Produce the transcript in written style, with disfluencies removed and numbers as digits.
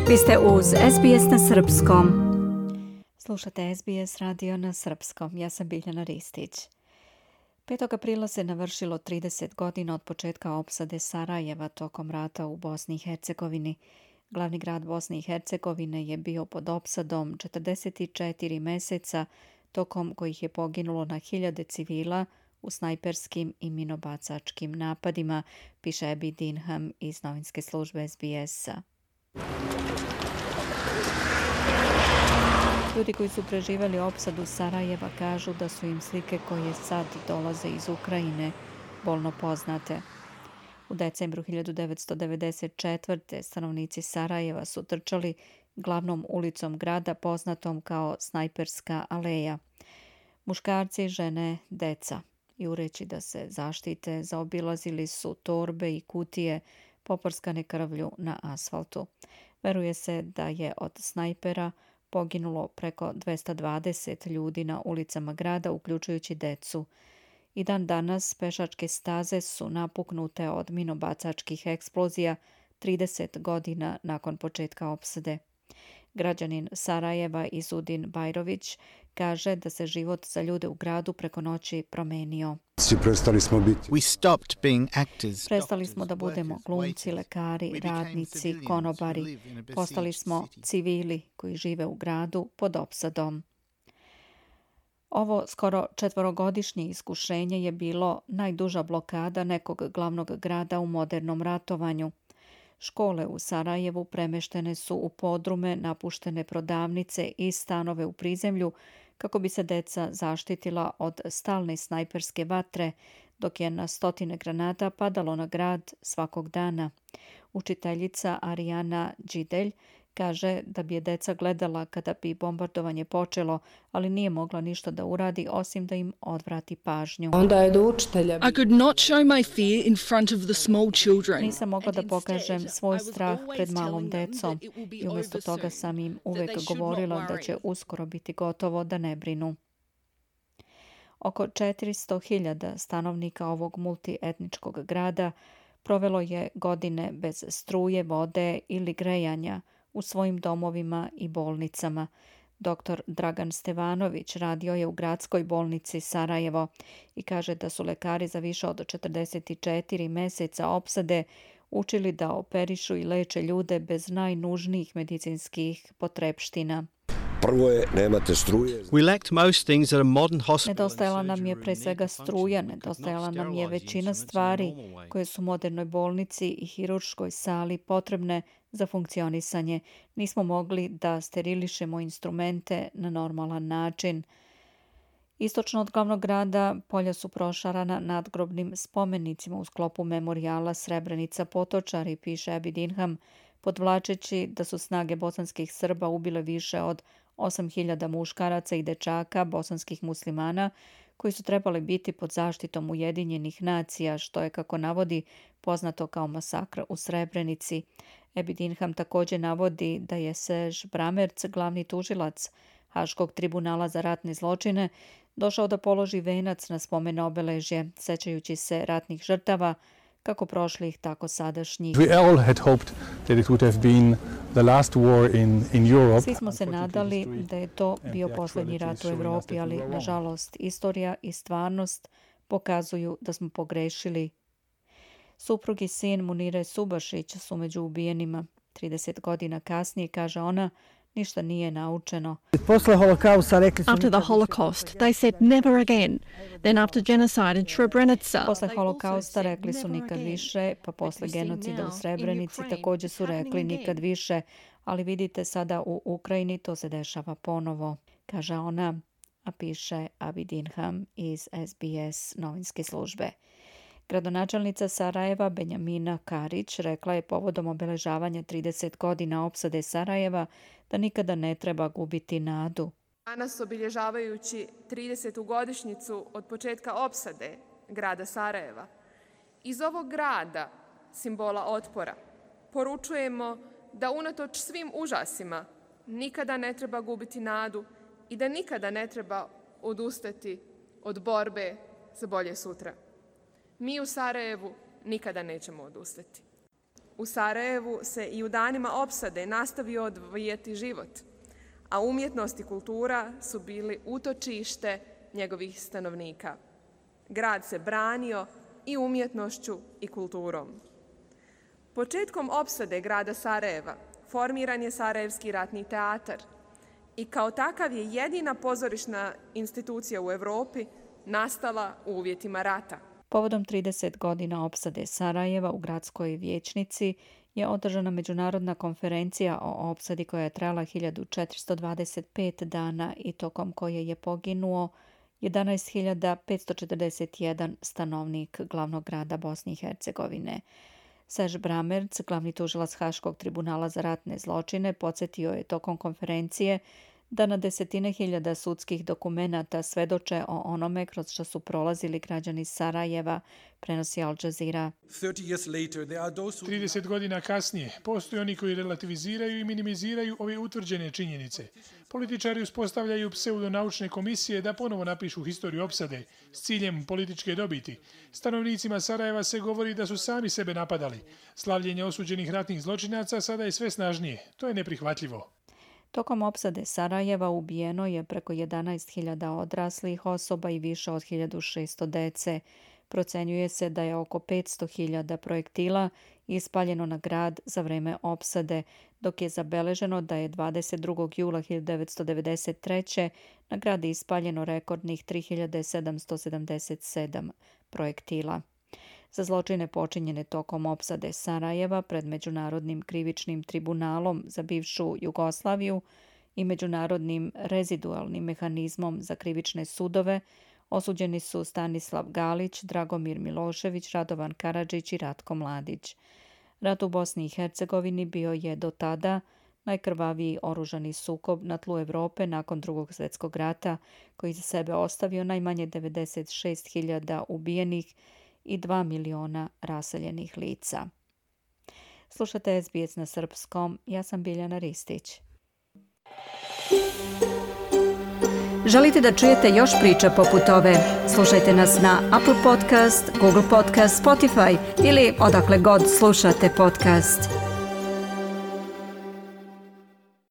Vi ste uz SBS na srpskom. Slušate SBS radio na srpskom. Ja sam Biljana Ristić. 5. aprila se navršilo 30 godina od početka opsade Sarajeva tokom rata u Bosni i Hercegovini. Glavni grad Bosne i Hercegovine je bio pod opsadom 44 meseca, tokom kojih je poginulo na hiljade civila u snajperskim i minobacačkim napadima, piše Abby Dinham iz novinske službe SBS-a. Ljudi koji su preživjeli opsadu Sarajeva kažu da su im slike koje sad dolaze iz Ukrajine bolno poznate. U decembru 1994. stanovnici Sarajeva su trčali glavnom ulicom grada poznatom kao Snajperska aleja. Muškarci, žene, deca. Jureći da se zaštite, zaobilazili su torbe i kutije poprskane krvlju na asfaltu. Veruje se da je od snajpera poginulo preko 220 ljudi na ulicama grada, uključujući decu. I dan danas pešačke staze su napuknute od minobacačkih eksplozija 30 godina nakon početka opsade. Građanin Sarajeva Izudin Bajrović kaže da se život za ljude u gradu preko noći promenio. Prestali smo da budemo glumci, lekari, radnici, konobari. Postali smo civili koji žive u gradu pod opsadom. Ovo skoro 4-godišnje iskušenje je bilo najduža blokada nekog glavnog grada u modernom ratovanju. Škole u Sarajevu premeštene su u podrume, napuštene prodavnice i stanove u prizemlju kako bi se deca zaštitila od stalne snajperske vatre, dok je na stotine granata padalo na grad svakog dana. Učiteljica Arijana Đidelj kaže da bi je deca gledala kada bi bombardovanje počelo, ali nije mogla ništa da uradi osim da im odvrati pažnju. Onda je do učitelja. I could not show my fear in front of the small children. Nisam mogla da pokažem svoj strah pred malom decom i umjesto toga sam im uvek govorila da će uskoro biti gotovo, da ne brinu. Oko 400.000 stanovnika ovog multietničkog grada provelo je godine bez struje, vode ili grejanja u svojim domovima i bolnicama. Dr. Dragan Stevanović radio je u gradskoj bolnici Sarajevo i kaže da su lekari za više od 44 meseca opsade učili da operišu i leče ljude bez najnužnijih medicinskih potrepština. Prvo je, nemate struje. Nedostajala nam je pre svega struja, nedostajala nam je većina stvari koje su modernoj bolnici i hirurškoj sali potrebne za funkcionisanje. Nismo mogli da sterilišemo instrumente na normalan način. Istočno od glavnog grada polja su prošarana nadgrobnim spomenicima u sklopu memorijala Srebrenica Potočari, piše Abby Dinham, podvlačeći da su snage bosanskih Srba ubile više od 8.000 muškaraca i dečaka bosanskih muslimana koji su trebali biti pod zaštitom Ujedinjenih nacija, što je, kako navodi, poznato kao masakr u Srebrenici. Abby Dinham također navodi da je Serž Bramerc, glavni tužilac Haškog tribunala za ratne zločine, došao da položi venac na spomen obeležje, sećajući se ratnih žrtava, kako prošlih, tako sadašnjih. Svi smo se nadali da je to bio posljednji rat u Evropi, ali nažalost istorija i stvarnost pokazuju da smo pogrešili. Suprug i sin Munire Subašić su među ubijenima. 30 godina kasnije, kaže ona, ništa nije naučeno. After the Holocaust, they said never again. Then after genocide in Srebrenica. Posle holokausta rekli su nikad više, pa posle genocida u Srebrenici također su rekli nikad više, ali vidite sada u Ukrajini to se dešava ponovo, kaže ona, a piše Abby Dinham iz SBS novinske službe. Gradonačelnica Sarajeva Benjamina Karić rekla je povodom obeležavanja 30 godina opsade Sarajeva da nikada ne treba gubiti nadu. Danas, obilježavajući 30. godišnjicu od početka opsade grada Sarajeva, iz ovog grada, simbola otpora, poručujemo da unatoč svim užasima nikada ne treba gubiti nadu i da nikada ne treba odustati od borbe za bolje sutra. Mi u Sarajevu nikada nećemo odustati. U Sarajevu se i u danima opsade nastavio odvijati život, a umjetnost i kultura su bili utočište njegovih stanovnika. Grad se branio i umjetnošću i kulturom. Početkom opsade grada Sarajeva formiran je Sarajevski ratni teatar i kao takav je jedina pozorišna institucija u Europi nastala u uvjetima rata. Povodom 30 godina opsade Sarajeva u gradskoj vijećnici je održana međunarodna konferencija o opsadi koja je trajala 1425 dana i tokom koje je poginuo 11.541 stanovnik glavnog grada Bosne i Hercegovine. Serge Bramertz, glavni tužilac Haškog tribunala za ratne zločine, podsjetio je tokom konferencije da na desetine hiljada sudskih dokumenata svedoče o onome kroz što su prolazili građani Sarajeva, prenosi Al Jazeera. 30 godina kasnije postoje oni koji relativiziraju i minimiziraju ove utvrđene činjenice. Političari uspostavljaju pseudonaučne komisije da ponovo napišu historiju opsade s ciljem političke dobiti. Stanovnicima Sarajeva se govori da su sami sebe napadali. Slavljenje osuđenih ratnih zločinaca sada je sve snažnije. To je neprihvatljivo. Tokom opsade Sarajeva ubijeno je preko 11.000 odraslih osoba i više od 1.600 dece. Procenjuje se da je oko 500.000 projektila ispaljeno na grad za vreme opsade, dok je zabeleženo da je 22. jula 1993. na grad ispaljeno rekordnih 3.777 projektila. Za zločine počinjene tokom opsade Sarajeva pred Međunarodnim krivičnim tribunalom za bivšu Jugoslaviju i Međunarodnim rezidualnim mehanizmom za krivične sudove osuđeni su Stanislav Galić, Dragomir Milošević, Radovan Karadžić i Ratko Mladić. Rat u Bosni i Hercegovini bio je do tada najkrvaviji oružani sukob na tlu Europe nakon Drugog svjetskog rata, koji za sebe ostavio najmanje 96.000 ubijenih i 2 miliona raseljenih lica. Slušate SBS na srpskom, ja sam Biljana Ristić. Želite da čujete još priča poput ove? Slušajte nas na Apple Podcast, Google Podcast, Spotify ili odakle god slušate podcast.